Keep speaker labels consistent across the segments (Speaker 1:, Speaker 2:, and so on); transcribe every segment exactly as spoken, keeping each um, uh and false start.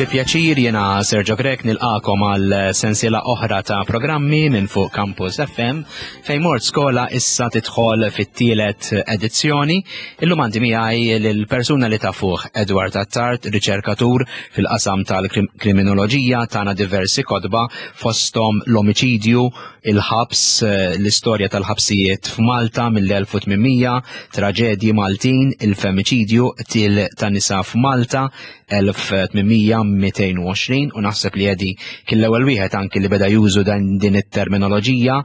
Speaker 1: Bi pjaċir jiena Sergio Grech nilqagħkom għal sensiela oħra ta' programmi minn fuq Campus F M fejn mort skola issa tidħol fit-tielet edizzjoni. Illum għandi miegħi lill-persuna li tafuh, Edward Attard, riċerkatur fil-qasam tal-kriminoloġija, tana diversi kotba, fosthom l-omiċidju, il-ħabs, l-istorja tal-ħabsijiet f'Malta mill-elf u tmien mija, traġedji Maltin, il-femiċidju, qtil ta' nisa f'Malta, elf u tmien mija u tnejn u għoxrin, u naħseb li Eddie kien l-ewwel wieħed anki li beda juża dan din it-terminoloġija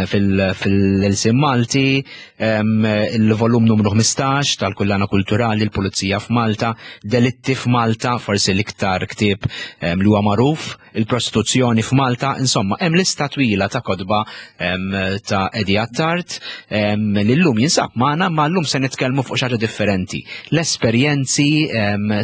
Speaker 1: fil-ilsien Malti, il-volum numru ħmistax tal-Kullana Kulturali, l-Pulizija f'Malta, Delitti f'Malta, forsi l-iktar ktieb li huwa magħruf, il-prostituzzjoni f'Malta, insomma, hemm lista twila ta' kotba ta' Eddie Attard li llum jinsab magħna, ma llum se nitkellmu fuq xi ħaġa differenti. L-esperjenzi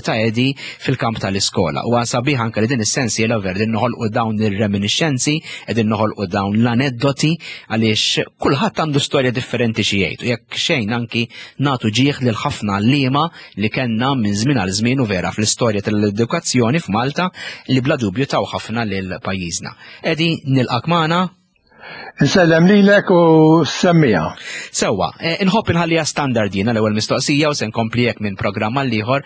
Speaker 1: ta' Eddie fil-kamp tal-iskola. U sabiħ anke li din is-sensiela ver din noħolqu dawn ir-reminiscenzi, qegħdin noħolqu dawn l-aneddoti, għaliex kulħadd għandu storja differenti xi jgħid. U jekk xejn anki nagħtu ġieħ lil ħafna għalliema li kellna minn żmien għal żmien u vera fl-istorja tal-edukazzjoni f'Malta li bla dubju taw ħafna lil pajjiżna. Eddie, nilqgħek magħna.
Speaker 2: Insellem lilek u semmiegħa.
Speaker 1: Sewwa, eh, inħobb inħallija standard jiena l-ewwel mistoqsija u se nkompli hekk minn programm għal ieħor.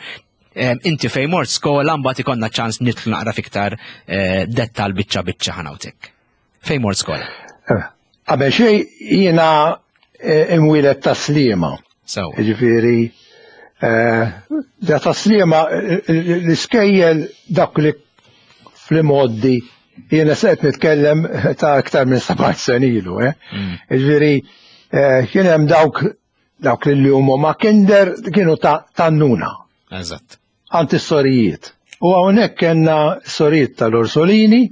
Speaker 1: Inti fejn mort skola, mbagħad ikollna ċans nidħlu naqra fiktar eh, dettal biċċa biċċa ħanawtek. Fejn mort skola?
Speaker 2: Eh, qabel xejn, jiena imwieled Tas-Sliema.
Speaker 1: Sewwa.
Speaker 2: Ġifieri, da Tas-Sliema, l-iskejjel dak li fl-imgħoddi, jiena se nitkellem ta' aktar minn seba' snin ilu, eh? Mm. Ġifieri, kien hemm dawk dawk li huma ma' kinder kienu ta' tannuna.
Speaker 1: Eżatt.
Speaker 2: Għand is-sorijiet. U hawnhekk kellna sorijiet tal-Orsolini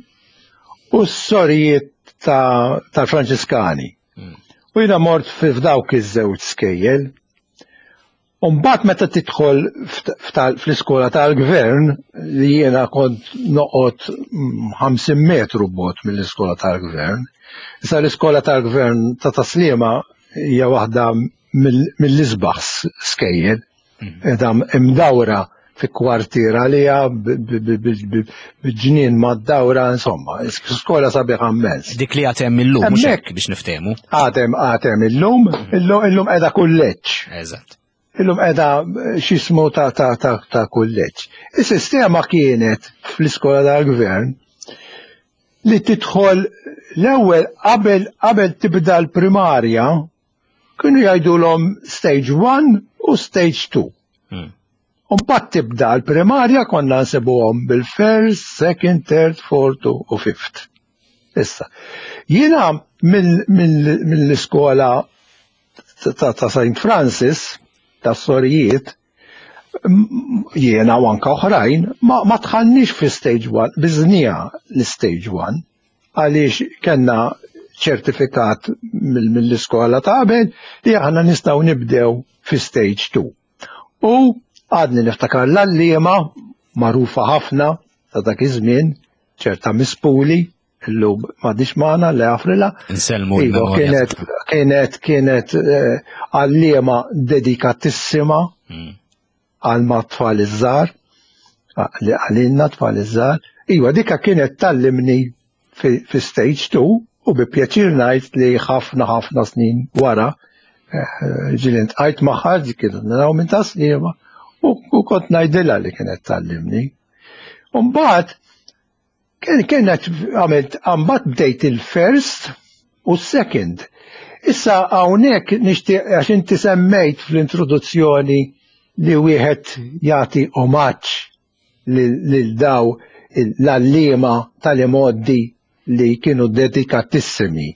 Speaker 2: u s-sorijiet tal-Franċiskani. Mm. U jiena mort f'dawk iż-żewġ skejjel. U mbagħad meta tidħol fl-iskola tal-gvern, li jiena kont noqgħod ħamsin metru bogħod mill-iskola tal-gvern. Issa l-iskola tal-gvern ta' Tas-Sliema hija waħda mill-isbaħ skejjel. Edha imdawra fi kwartiera li b'ġnien mad-dawra, insomma, skola sabiħa immens.
Speaker 1: Dik li għad hemm illum, mhux hekk, biex niftehmu?
Speaker 2: Għad hemm għad hemm illum, illum qiegħda kulleġġ.
Speaker 1: Eżatt.
Speaker 2: Illum qiegħda x'jismu ta' ta' ta' ta' kulleġġ. Is-sistema kienet fl-iskola tal-gvern li tidħol l-ewwel, qabel qabel tibda l-primarja, kienu jgħidulhom stage one u stage two. Hmm. Mbagħad tibda l-primarja, konna nsibuhom bil-first, second, third, fourth u fifth. Issa, jiena mill-iskola ta' Saint Francis, ta' sorijiet, jiena u anka oħrajn, ma, ma dħalniex fi stage one, qbiżnieha l-stage one, għaliex kellna ċertifikat mill-iskola ta' qabel li aħna nistgħu nibdew fi stage two. U għadni niftakar l-għalliema magħrufa ħafna ta' dak iż-żmien, ċerta Miss Puli, illum m'għadhiex magħna, Alla jaħfrilha.
Speaker 1: Insellmu
Speaker 2: Iva, kienet kienet kienet eh, għalliema dedikatissima hmm. għal ma' tfal iż-żgħar, għalina tfal iż-żgħar. Iva, dika kienet tgħallimni fi stage two u bi pjaċir ngħid li ħafna ħafna snin wara eh, ġieli ltqajt magħha, dik kienet naraw minn Tas-Sliema, u kont ngħidilha li kienet tgħallimni. Umbagħad kienet għamilt, mbagħad bdejt il-first u second. Issa hawnhekk nixtieq, għax inti semmejt fl-introduzzjoni li wieħed jagħti omaġġ lil daw l-għalliema tal-imgħoddi li kienu dedikatissimi.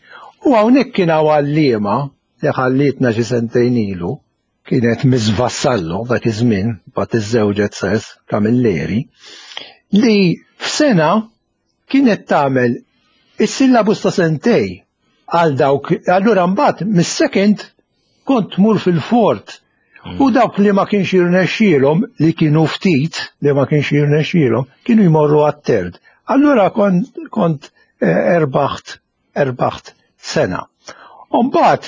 Speaker 2: U hawnhekk kien hawn għalliema li ħallitna xi sentejn ilu, kienet Miss Vassallo dak iż-żmien, mbagħad iżżewġet sess Camilleri, li f'sena kienet tagħmel is-syllabus ta' sentej għal dawk, allura mbagħad mis-second kont tmur fil-fourth. U dawk li ma kienx jirnexxielhom, li kienu ftit li ma kienx jirnexxielhom, kienu jmorru għat-third. Allura kont, kont eh, erbaħt, erbaħt sena. Umbagħad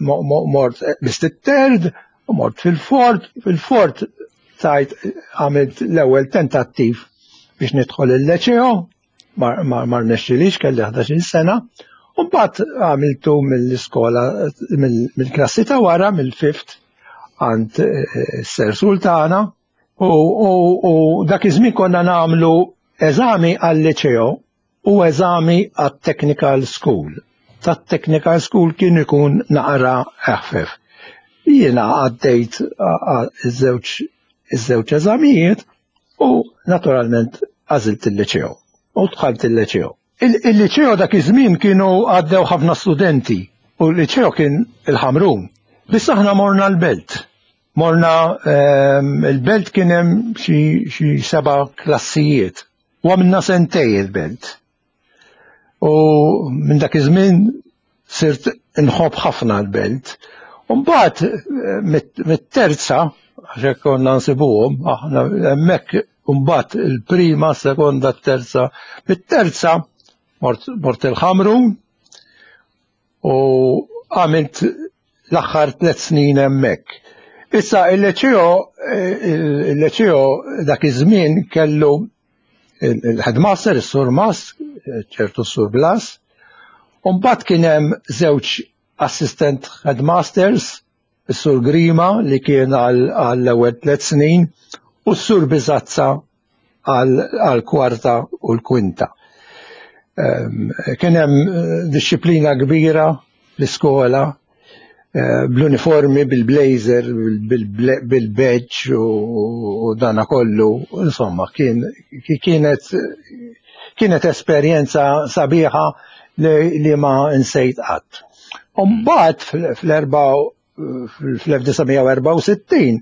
Speaker 2: mort bist it-third, u mort fil-fourth, fil-fourth tajt għamilt l-ewwel tentattiv biex nidħol il-leċeo, ma rnexxilix, kelli ħdax-il sena, u mbagħad għamiltu mill-iskola, mill-klassi ta' wara, mill-fifth, għand Ser Sultana, u dak iż-żmien konna nagħmlu eżami għal-leċeo u eżami għat-technical school. Tat-technical school kien ikun naqra eħfef. Jiena għaddejt iż-żewġ iż-żewġ eżamijiet u naturalment għażilt il-leċeo u dħalt il-leċeo. Il-liċeo dak iż-żmien kienu għaddew ħafna studenti u l-liċeo kien il-Ħamrun. Biss aħna morna l-belt. Morna il-belt kien hemm xi seba' klassijiet. U għamilna sentej il-belt. U minn dak iż-żmien sirt inħobb ħafna l-belt. U mbagħad mit-terza, għax hekk konna nsibuhom, aħna hemmhekk mbagħad il-prima, sekonda, terza. Mit-terza mort il-Ħamrun u għamilt l-aħħar tliet snin hemmhekk. Issa il-leċeo il-leċeo dak iż-żmien kellu il-headmaster, is-Sur Mas, ċertu Sur Blas, u mbagħad kien hemm żewġ assistant headmasters, is-Sur Grima li kien għall-ewwel tliet snin u s-Sur Bizazza għall-kwarta u l-kwinta. Kien hemm disċiplina kbira l-iskola, bl-uniformi, bil-blazer, bil-badge u dana kollu, insomma, kienet kienet esperjenza sabiħa li ma nsejt qatt. U mbagħad fl-elf disa' mija u erbgħa u sittin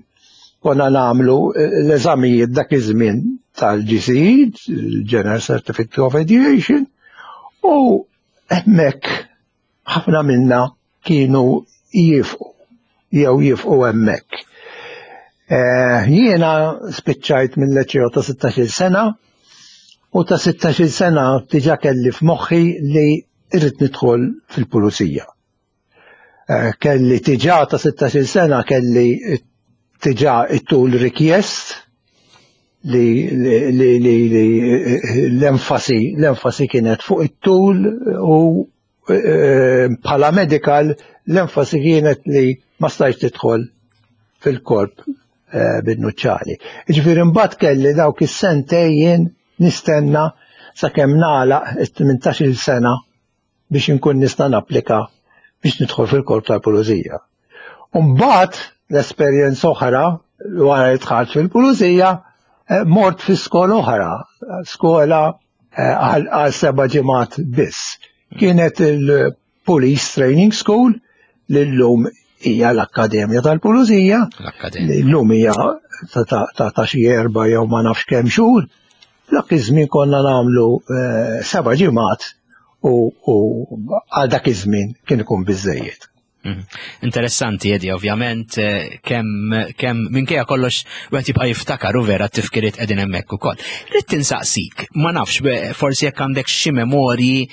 Speaker 2: konna nagħmlu l-eżamijiet dak iż-żmien tal-G C E, General Certificate of Education, u hemmhekk ħafna minna kienu jifqu, jew jifqu hemmhekk. Jiena spiċċajt mill-leċeo ta' sittax-il sena, u ta' sittax-il sena diġà kelli f'moħħi li irrid nidħol fil-pulizija. Kelli diġà ta' sittax-il sena kelli diġà it-tul rikjest li l-enfasi l-enfasi kienet fuq it-tul u bħala medical l-enfasi kienet li ma stajtx tidħol fil-korp bin-nuċċali. Jiġifieri mbagħad kelli dawk is-sentejn nistenna sakemm nagħlaq it-tmintax-il sena biex inkun nista' napplika biex nidħol fil-korp tal-pulizija. U mbagħad l-esperjenza oħra wara li dħalt fil-pulizija mort fi skola oħra, skola għal seba' ġimgħat biss. Kienet il-Police Training School li llum hija l-Akkademja tal-Pulizija, li llum hija ta' xi erba' jew ma nafx kemm xhur. Dak iż-żmien konna nagħmlu seba' ġimgħat u għal dak iż-żmien kien ikun biżejjed.
Speaker 1: Interessanti, Edi, ovvjament, kemm kemm minkejja kollox wieħed jibqa' jiftakar u vera t-tifkiriet qegħdin hemmhekk ukoll. Rrid tinsaqsik, ma nafx, forsi jekk għandek xi memorji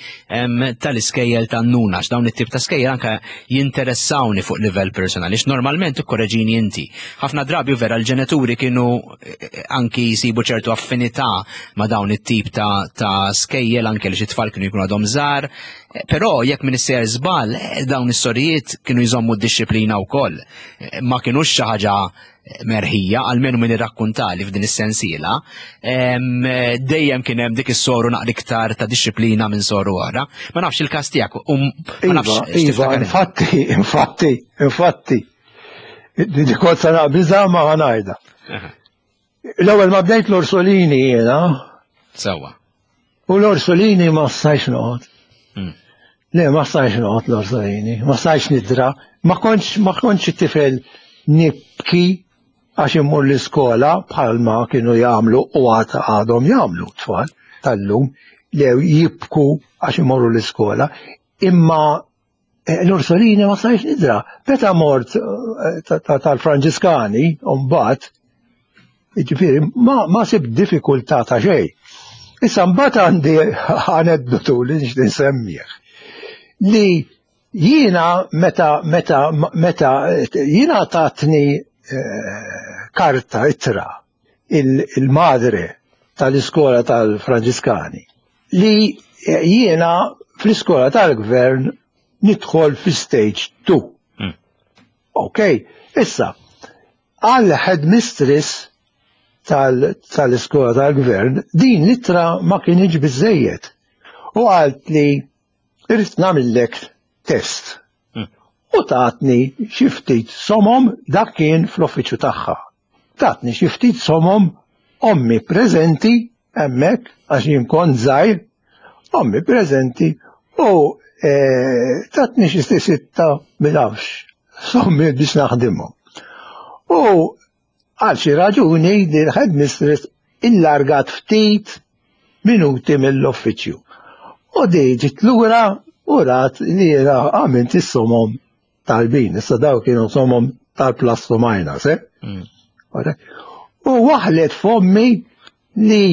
Speaker 1: tal-iskejjel tan-nuna, għax dawn it-tip ta' skejjel anke jinteressawni fuq livell personali, għax normalment ikkoreġini inti. Ħafna drabi vera l-ġenituri kienu anki jsibu ċertu affinità ma' dawn it-tip ta' skejjel anke li xi tfal kienu jkunu għadhom żgħar. Però jekk min isser żball, dawn is-sorijiet kienu jżommu d-disciplina wkoll. Ma kinux xi ħaġa merħija, almenu min irrakkuntali f'din is-sensiela, dejjem kien hemm dik is-soru naqra iktar ta' disciplina minn soru oħra. Ma nafx il-każ tiegħek, u ma nafx
Speaker 2: Iva, infatti, infatti, infatti. Di kont se naqbiżha ma ngħidha. L-ewwel ma bdejt l-Orsolini jiena.
Speaker 1: Sewwa.
Speaker 2: U l-Orsolini ma stajtx noqgħod. Le, ma stajtx noqgħod l-Orsolini, ma stajtx nidra, ma kontx, ma kontx tifel nibki għax immur l-iskola bħalma kienu jagħmlu u għad għadhom jagħmlu tfal tal-lum li jibku għax imorru l-iskola, imma l-Orsolini ma stajtx nidra. Meta mort tal-Franġiskani, mbagħad, jiġifieri ma, ma sib diffikultà ta' xejn. Issa mbagħad għandi aneddotu li nixtieq nsemmih. Li jiena meta, meta, meta jiena tatni karta ittra il-madre tal-iskola tal-Franġiskani li jiena fl-iskola tal-gvern nidħol fi stage two.
Speaker 1: Mm.
Speaker 2: Ok, issa, għal headmistress tal-iskola tal-gvern, din l-ittra ma kienx biżejjed. U għalt li irrid nagħmillek test.
Speaker 1: Mm.
Speaker 2: U tatni xi ftit somom, dak kien fl-uffiċċju tagħha. Tatni xi ftit somom, ommi preżenti hemmhekk għax jien kont żgħir, ommi preżenti u eh, tatni xi sitta bilafx sommi biex naħdimhom. U għal xi raġuni din headmistress illargat ftit minuti mill-uffiċċju. U di ġiet lura u rat li jiena għamilt is-somom tajbin. Issa daw kienu somom tal-plus u minus, eh?
Speaker 1: Mm.
Speaker 2: U waħlet f'ommi li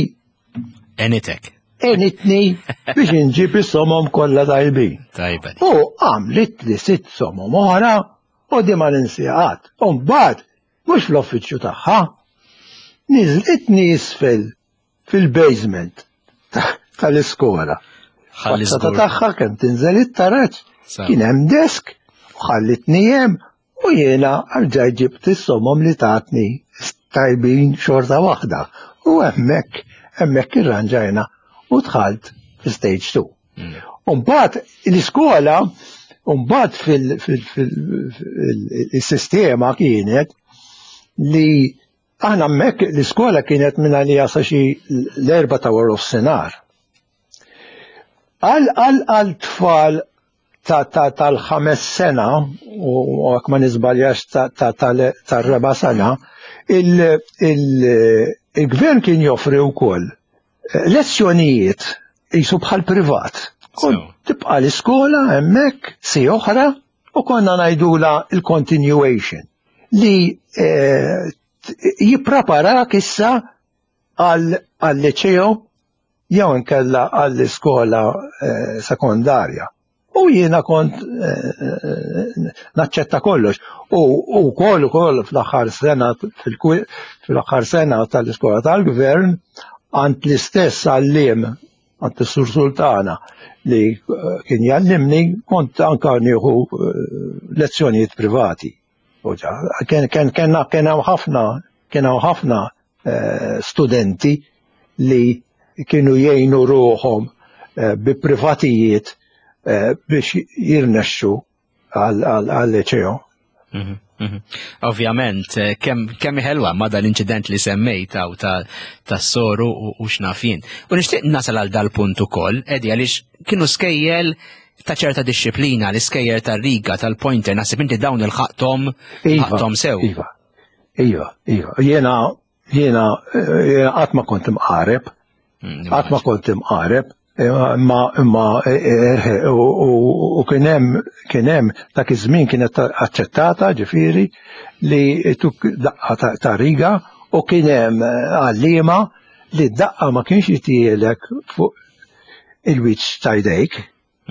Speaker 1: Enitek.
Speaker 2: Enitni biex inġib is-somom kollha tajbin.
Speaker 1: Tajba.
Speaker 2: U għamlit li sitt somom oħra u di ma ninsiha. U mbagħad mhux fl-uffiċċju tagħha, niżlitni isfel fil-basement tal-iskola.
Speaker 1: Ħalli
Speaker 2: Faċċata
Speaker 1: żgur.
Speaker 2: tagħha kemm tinżel it-taraġ,
Speaker 1: Sa.
Speaker 2: kien hemm desk u ħallitni hemm u jiena rġajt ġibt is-somom li tatni tajbin xorta waħda. U hemmhekk hemmhekk irranġajna u dħalt fi stage two.
Speaker 1: Mm.
Speaker 2: Umbagħad l-iskola, umbagħad fil-sistema kienet li aħna hemmhekk l-iskola kienet minn għalija sa xi l-erba ta' wara nofsinhar. Għal għal għal tfal ta' ta' tal-ħames sena u għak ma niżbaljax ta' ta' tal- tar-raba' sena, il- il- il-gvern kien joffri wkoll lezzjonijiet jisu bħal privat. Kont
Speaker 1: So.
Speaker 2: tibqa' l-iskola hemmhekk si oħra u konna ngħidula il-continuation li eh, jippreparak issa għal għal-liċeo jew inkella għall-iskola eh, sekondarja. U jiena kont eh, naċċetta kollox. U u koll ukoll fl-aħħar sena fil- fl-aħħar sena tal-iskola tal-gvern għand l-istess għalliem għand is-Sur Sultana li eh, kien jallimni kont anka nieħu eh, lezzjonijiet privati. U ġa, Kien kien kien kien hawn ħafna kien hawn ħafna eh, studenti li kienu jgħinu ruħhom eh, bi privatijiet eh, biex jirnexxu għal-liceo.
Speaker 1: Mhm, mhm. Ovvjament, eh, kemm kemm ħelwa ma dal-inċident li semmejt hawn ta' tas-soru u, u x'naf jien. U nixtieq nasal għal dal-punt ukoll, Edi, għaliex kienu skejjel ta' ċerta disċiplina, l-iskejjel tar-riga, tal-pointer, naħseb inti dawn ilħaqthom ħaqthom sew.
Speaker 2: Iva, iva, iva. Jiena, jiena, eh, jiena qatt ma kont imqareb,
Speaker 1: Mm,
Speaker 2: qatt ma kont imqareb, imma imma eh, eh, u u- u kien hemm kien hemm dak iż-żmien kienet aċċettata ġifieri li tuk daqqa ta- ta' riga u kien hemm eh, għalliema li d-daqqa ma kienx jtielek fuq il-wiċċ ta' jdejk.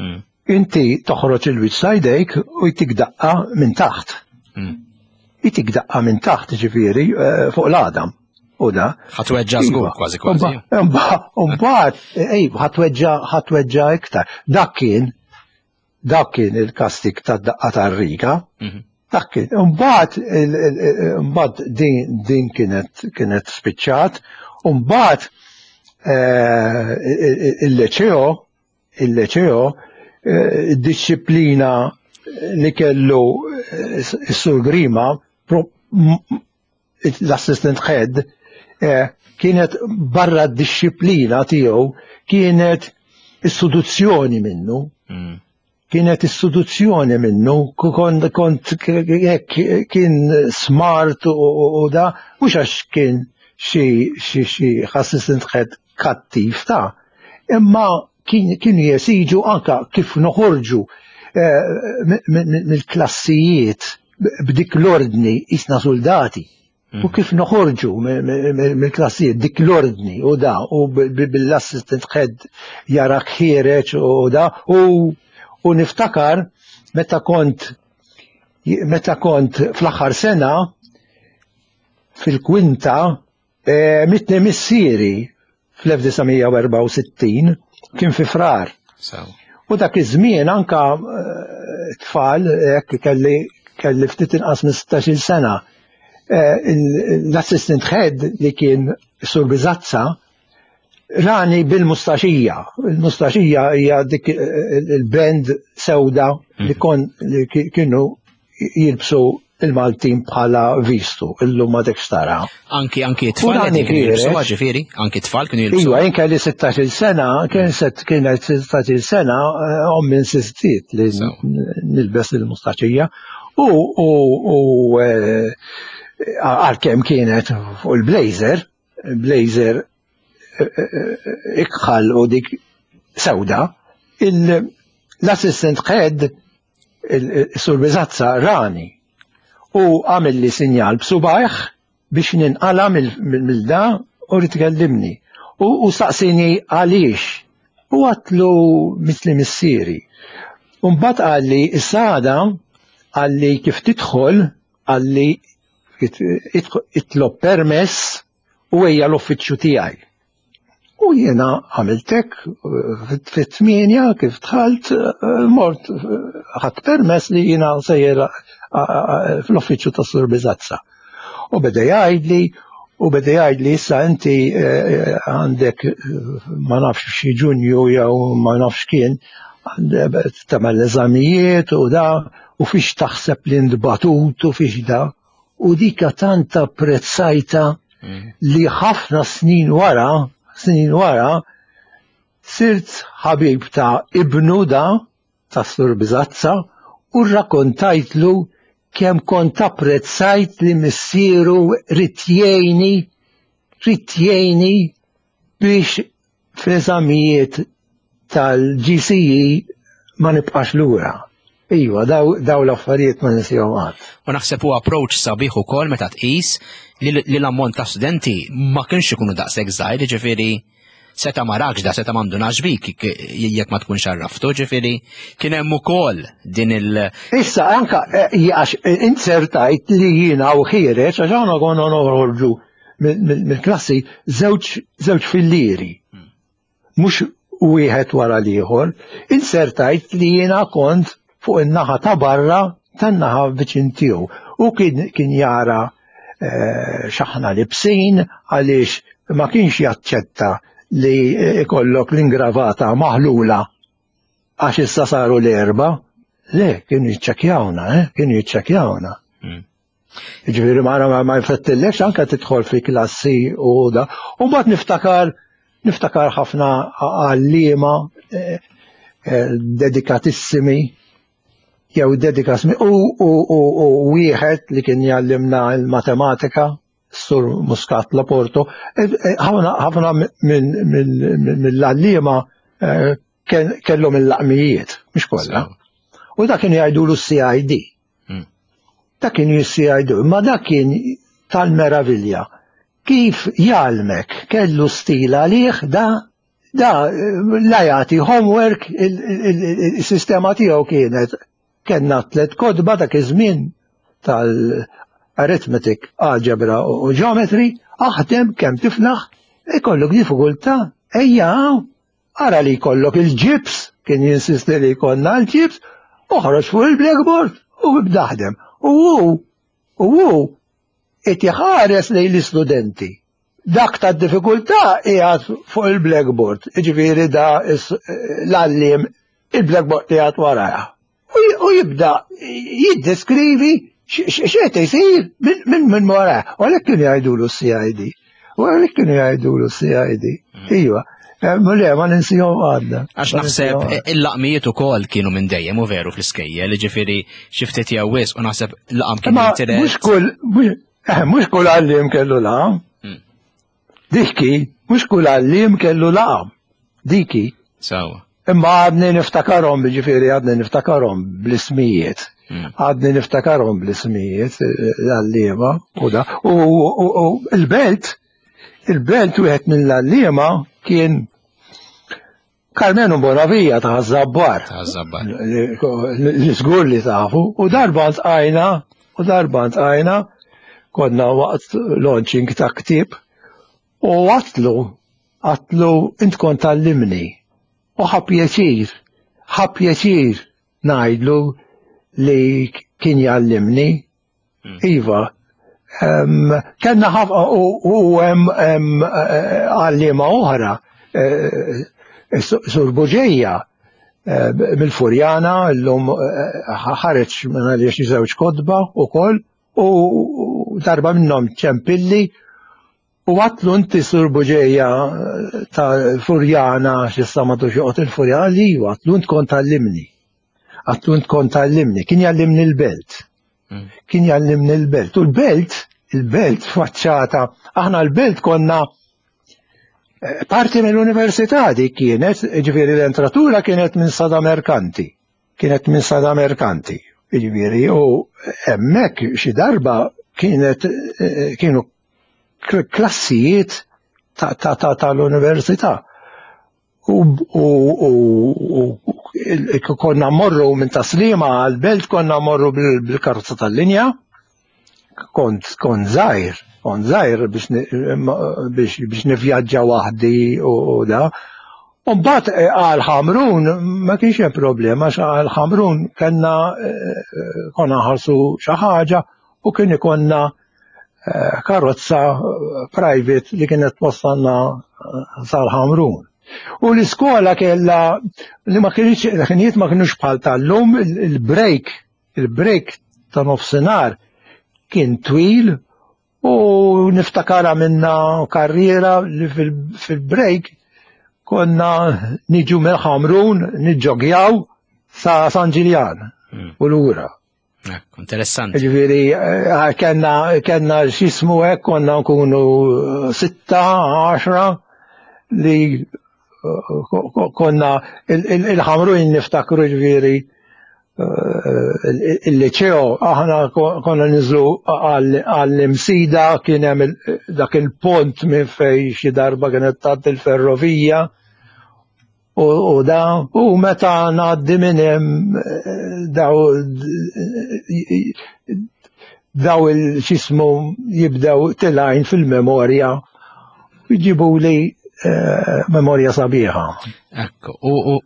Speaker 1: Mm,
Speaker 2: Inti toħroġ il-wiċċ ta' jdejk u jtik daqqa minn taħt.
Speaker 1: mm.
Speaker 2: Jtik daqqa minn taħt ġifieri eh, fuq l-għadam. U da.
Speaker 1: Ħa tweġġa' żgur kważi kważi.
Speaker 2: Umbagħad, ej, ħa tweġġa' ħa tweġġa' iktar. Dak kien, dak kien il-kastig ta' daqqa tar-riga.
Speaker 1: Mhm.
Speaker 2: Dak kien. Umbagħad, il- il- il- umbagħad din, din kienet, kienet spiċċat. Umbagħad, eh, il-liceo, il-liceo, eh, id-disciplina li kellu eh, s-Sur Grima, pro- m- l-assistant head, eh, kienet barra d-disciplina tiegħu, kienet is-seduzzjoni minnu,
Speaker 1: Mm.
Speaker 2: kienet is-seduzzjoni minnu, kont kont hekk kien smart u, u, u da, mhux għax kien xi xi xi assistant head kattiv ta' imma kien kienu jesiġu anka kif noħorġu eh, mi- mi- mill-klassijiet b'dik l-ordni isna soldati. U kif noħorġu mill-klassijiet dik l-ordni u da u bil-assistant head jarak ħiereġ u da u u niftakar meta kont meta kont fl-aħħar sena fil-kwinta E, Mitni missieri fl-elf disa' mija u erbgħa u sittin kien fi Frar. U dak iż-żmien anka tfal, hekk kelli, kelli ftit inqas minn sittax-il sena. L-assistant head li kien Sur Bizazza rani bil-mustaxija. Il-mustaxija hija dik il-band sewda li kon li kienu jilbsu il-Maltin bħala vistu, illum ma dekx tara.
Speaker 1: Anki, anki tfal
Speaker 2: Urani
Speaker 1: kienu jilbsu,
Speaker 2: ħiereġ.
Speaker 1: ġifieri, anki tfal kienu jilbsu.
Speaker 2: Iwa, jien kelli sittax-il sena, kien set, kienet sittax-il sena, eh, ommi insistiet li
Speaker 1: Sew.
Speaker 2: nilbes il-mustaxija. U, u, u, eh, għalkemm kienet fuq il-blazer, blazer, eh, eh, ikħal u dik sewda, il-, l-assistant head, il-Sur Bizazza rani u għamil li sinjal b'subajh biex ninqala mill-da u ritkellimni. U, u saqsini għaliex. U għatlu mitli missieri. U mbagħad qalli s-sada, qalli kif tidħol, qalli itlob permess u ejja l-uffiċċju tiegħi. U jiena għamiltek fit-tmienja kif dħalt, mort ħadd permess li jiena sejjer fl-uffiċċju ta' Sur Bizazza. U beda jgħidli, u beda jgħidli issa inti, eh, għandek ma nafx xi Ġunju jew ma nafx kien, għandek tagħmel l-eżamijiet u da, u fiex taħseb li ntbatut u fiex da. U dika tant apprezzajta
Speaker 1: Mm.
Speaker 2: li ħafna snin wara, snin wara, sirt ħabib ta' ibnu da, ta' Sur Bizazza, u rrakkontajtlu kemm kont apprezzajt li missieru ried jgħinni, ried jgħinni biex fl-eżamijiet tal-G C E ma nibqax lura. Iva, daw, daw l-affarijiet ma ninsihom qatt.
Speaker 1: U naħseb huwa approach sabiħ ukoll meta tqis li, li l-ammont ta' studenti ma kienx ikunu daqshekk żgħir, jiġifieri seta' ma rakx da, seta' m'għandunax bik jekk ma tkunx għarraftu, ġifieri kien hemm ukoll din il-
Speaker 2: Issa anka, eh, għax, eh, insertajt li jiena u ħiereġ, għax aħna konna noħorġu mill-klassi żewġ, żewġ fillieri. Mhux wieħed wara l-ieħor, insertajt li jiena kont fuq in-naħa ta' barra tan-naħa viċin tiegħu. U kien, kien jara, eh, x'aħna libsin għaliex ma kienx jaċċetta li ikollok l-ingravata maħlula għax issa saru l-erba. Le, kienu jiċċekkjawna, eh, kienu jiċċekkjawna.
Speaker 1: Mm.
Speaker 2: Ġifieri ma, ma, ma jfettillekx anke tidħol fi klassi u da. U mbagħad niftakar, niftakar ħafna għalliema, eh, eh, dedikatissimi, jew dedikatissimi, u, u, u, u wieħed li kien jgħallimna l-matematika, Sur Muscat Laporto, eh, eh, ħafna, ħafna minn, minn, mill-għalliema, eh, ken-, kellhom il-laqmijiet, mhux kollha.
Speaker 1: Sew.
Speaker 2: U dak kienu jgħidulu C I D.
Speaker 1: Hmm.
Speaker 2: Dak kienu C I D, imma dak kien tal-meravilja. Kif jgħallmek, kellu stil għalih, da, da la jagħti homework, il-, il-, il-, il-sistema tiegħu kienet kellna tliet kotba dak iż-żmien tal-arithmetic, algebra u geometry, aħdem kemm tiflaħ, ikollok diffikultà, ejja hawn, ara li jkollok il-ġibs, kien jinsisti li jkollna l-ġibs, oħroġ fuq il-blackboard u ibda aħdem. U hu, u hu qed iħares lejn l-istudenti. Dak ta' diffikultà qiegħed fuq il-blackboard, jiġifieri da is-, l-għalliem il-blackboard qiegħed warajha. U j-, u jibda jiddeskrivi x-, x-, x'qed isir minn, minn, minn warajha. U għalhekk kienu jgħidulu C I D. U għalhekk kienu jgħidulu C I D.
Speaker 1: Mm.
Speaker 2: Iva. Eh, ma le, ma ninsihom għadna.
Speaker 1: Għax
Speaker 2: Ma
Speaker 1: naħseb
Speaker 2: ninsihom għadna.
Speaker 1: il-laqmijiet ukoll kienu minn dejjem u veru fl-iskejjel, jiġifieri xi ftit jew wisq u naħseb laqam kien
Speaker 2: Ma
Speaker 1: jintiret.
Speaker 2: mhux kull, mhux, eh, mhux kull għalliem kellu laqam.
Speaker 1: Mm.
Speaker 2: Diki, mhux kull għalliem kellu laqam. Diki.
Speaker 1: Sawa.
Speaker 2: Imma għadni niftakarhom, jiġifieri għadni niftakarhom bl-ismijiet.
Speaker 1: Mm.
Speaker 2: Għadni niftakarhom bl-ismijiet, eh, l-għalliema u da. U, u, u, u il-belt, il-belt wieħed mill-għalliema kien Carmenu Bonavia ta' Ħaż-Żabbar.
Speaker 1: Ta' Ħaż-Żabbar.
Speaker 2: Li żgur li tafu. U darba ntqajna, u darba ntqajna, konna waqt launching ta' ktieb, U għedtlu, għedtlu int kont tgħallimni. U ħa pjaċir, ħa pjaċir ngħidlu li kien jgħallimni. Hmm. Iva, kellna ħafna u hemm għalliema oħra, eh, Sur Buġeja, eh, mill-Furjana, l-lum eh, ħareġ minn għaliex xi żewġ kotba ukoll, u darba minnhom ċempilli u għedtlu inti Sur Buġeja ta' Furjana, x'issa ma joqgħod il-Furjana, li għedtlu int kont tgħallimni. Għedtlu int kont tgħallimni, kien jgħallimni l-Belt. Mm. Kien jgħallimni l-Belt. U l-Belt, il-Belt faċċata, aħna l-Belt konna eh, parti mill-università dik kienet, ġifieri l-entratura kienet minn Sada Merkanti. Kienet minn Sada Merkanti. Ġifieri, u hemmhekk xi darba kienet eh, kienu klassijiet tal-università. U konna morru minn Tas-Sliema għal-Belt, konna morru bil-karozza tal-linja, kont kont żgħir, kont żgħir biex nivvjaġġa waħdi u da. U mbagħad eh, għal Ħamrun ma kienx hemm problema, għal Ħamrun kellna eh, konna nħallsu xi ħaġa u kien ikollna eh, karozza private li kienet twassalna sal-Ħamrun. U l-iskola kella li ma kienx ħinijiet ma kienux bħal tal-lum, il-break, il-break ta' nofsinhar kien twil u niftakara minna karriera li fil-break konna niġu mill-Ħamrun niġġogjaw sa San Ġiljan hmm. u lura.
Speaker 1: Interessanti.
Speaker 2: Ġifieri, eh, kellna kellna x'jismu hekk konna nkunu sitta, għaxra li konna il-Ħamrun niftakru ġifieri eh, il-liceo, aħna konna niżlu għall-Imsida, kien hemm dak il-pont minn fej xi darba kienet tgħaddi il-ferrovija u da u meta ngħaddi minn hemm eh, daw daw il-x'jismu jibdew telgħin fil-memorja jġibu li eh, memorja sabiħa.
Speaker 1: Ekku,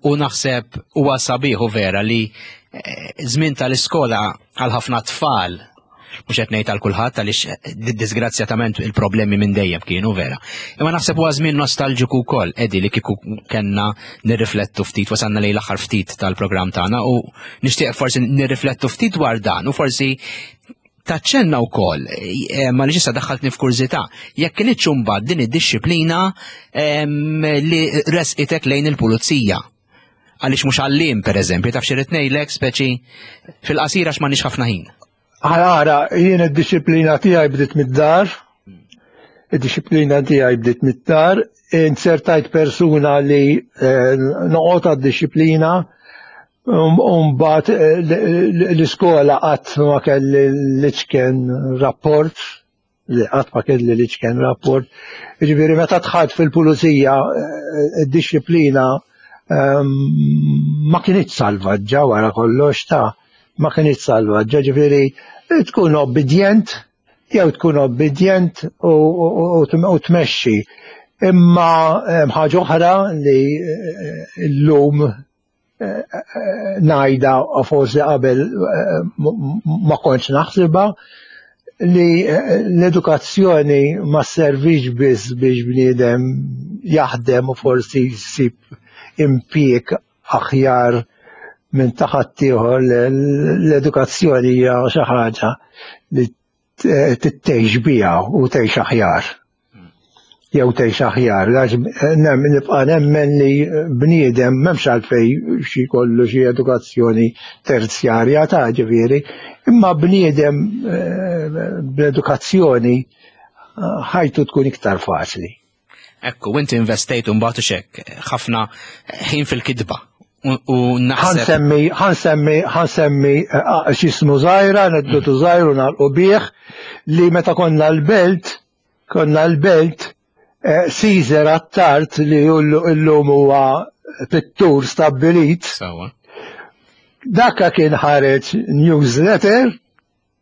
Speaker 1: u naħseb huwa sabiħ u vera li eh, żmien tal-iskola għal ħafna tfal, mhux qed ngħid għal kulħadd għaliex eh, disgrazzjatament il-problemi minn dejjem kienu vera. Imma naħseb huwa żmien nostalġiku wkoll, Edi, li kieku kellna nirriflettu ftit, wasalna lejn l-aħħar ftit tal-programm tagħna u nixtieq forsi nirriflettu ftit dwar dan u forsi taċċenna wkoll eh, ma li ġissa daħħaltni f'kurżità jekk kinitx imbagħad din id-dixxiplina li resqitek lejn il-pulizija. Għaliex mhux għalliem pereżempju, taf xi ngħidlek speċi fil-qasira x'm'għandniex ħafna ħin.
Speaker 2: Ara, jien id-dixxiplina tiegħi bdiet mid-dar, id-dixxiplina tiegħi bdiet mid-dar, insertajt persuna li eh, noqgħod għad-dixxiplina, mbagħad eh, l-iskola qatt ma kelli l-iċken rapport, li qatt ma kelli l-iċken rapport. Ġifieri meta dħalt fil-pulizija eh, id-dixxiplina ehm, ma kinitx salvaġġa wara kollox ta' ma kinitx salvaġġa, ġifieri tkun obbedjent jew tkun obbedjent u tmexxi. Imma ħaġa oħra li eh, llum ngħidha forsi qabel ma kontx naħsibha li l-edukazzjoni ma servix biss biex bniedem jaħdem u forsi jsib impjieg aħjar minn ta' ħaddieħor l-edukazzjoni hija xi ħaġa li tgħix biha u tgħix aħjar. Jew tgħix aħjar, għax nibqa' nemmen li bniedem m'hemmx għalfejn xi kollu xi edukazzjoni terzjarja ta' ġifieri, imma bniedem eh, bl-edukazzjoni eh, ħajtu tkun iktar faċli.
Speaker 1: Ekku, inti investejt mbagħad xek ħafna ħin fil-kitba. U naħseb.
Speaker 2: Ħa nsemmi, ħa nsemmi, ħa nsemmi eh, x'jismu żgħira, aneddotu żgħir u nagħlqu bih li meta konna l-Belt, konna l-Belt, eh, Caesar Attard li llum huwa pittur stabbilit. Dakka kien ħareġ newsletter,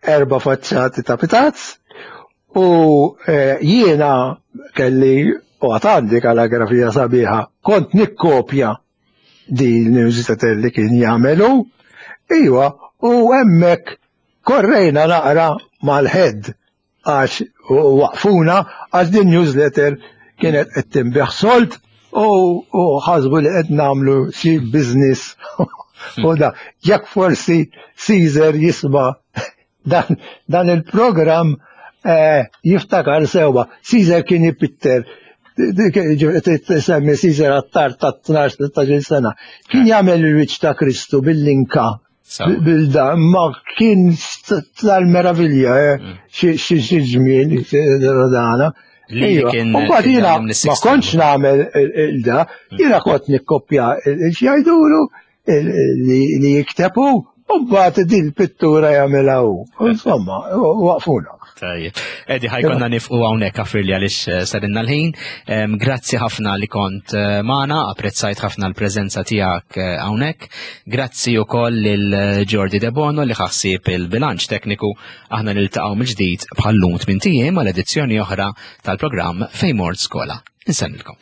Speaker 2: erba faċċati ta' pitazz, U eh, jiena kelli u għandi kalligrafija sabiħa, kont nikkopja di l-newsletter li kien jagħmelu, iwa, u hemmhekk korrejna naqra mal-head għax waqfuna għax din newsletter kienet qed tinbiegħ sold u u ħasbu li qed nagħmlu xi business u da jekk forsi Caesar jisma' dan, dan il-programm eh, jiftakar sewwa. Caesar kien ipitter semmi Caesar Attard ta' tnax tlettax-il sena. Kien jagħmel il-wiċċ ta' Kristu bil-linka bil-da, ma kien tal-meravilja, eh, xi xi ġmiel dana.
Speaker 1: Li
Speaker 2: Iva,
Speaker 1: kien
Speaker 2: u mbagħad
Speaker 1: kien
Speaker 2: jiena
Speaker 1: jgħallem
Speaker 2: ma
Speaker 1: lis-sixth
Speaker 2: kontx nagħmel il-da, jiena kont nikkopja x'jgħidulu li li jiktebu, u mbagħad din il-pittura jagħmilha hu. Insomma, waqfuna.
Speaker 1: Tajjeb. Edi, ħa jkollna nieqfu hawnhekk għafirli għaliex eh, sarinna l-ħin. Em, Grazzi ħafna li kont eh, magħna, apprezzajt ħafna l-preżenza tiegħek eh, hawnhekk. Grazzi wkoll lil Jordi De Bono li ħassib il-bilanċ tekniku. Aħna niltaqgħu mill-ġdid bħal-lum tmint ijiem għal edizzjoni oħra tal-programm Fejn Mort Skola. Insellmilkom.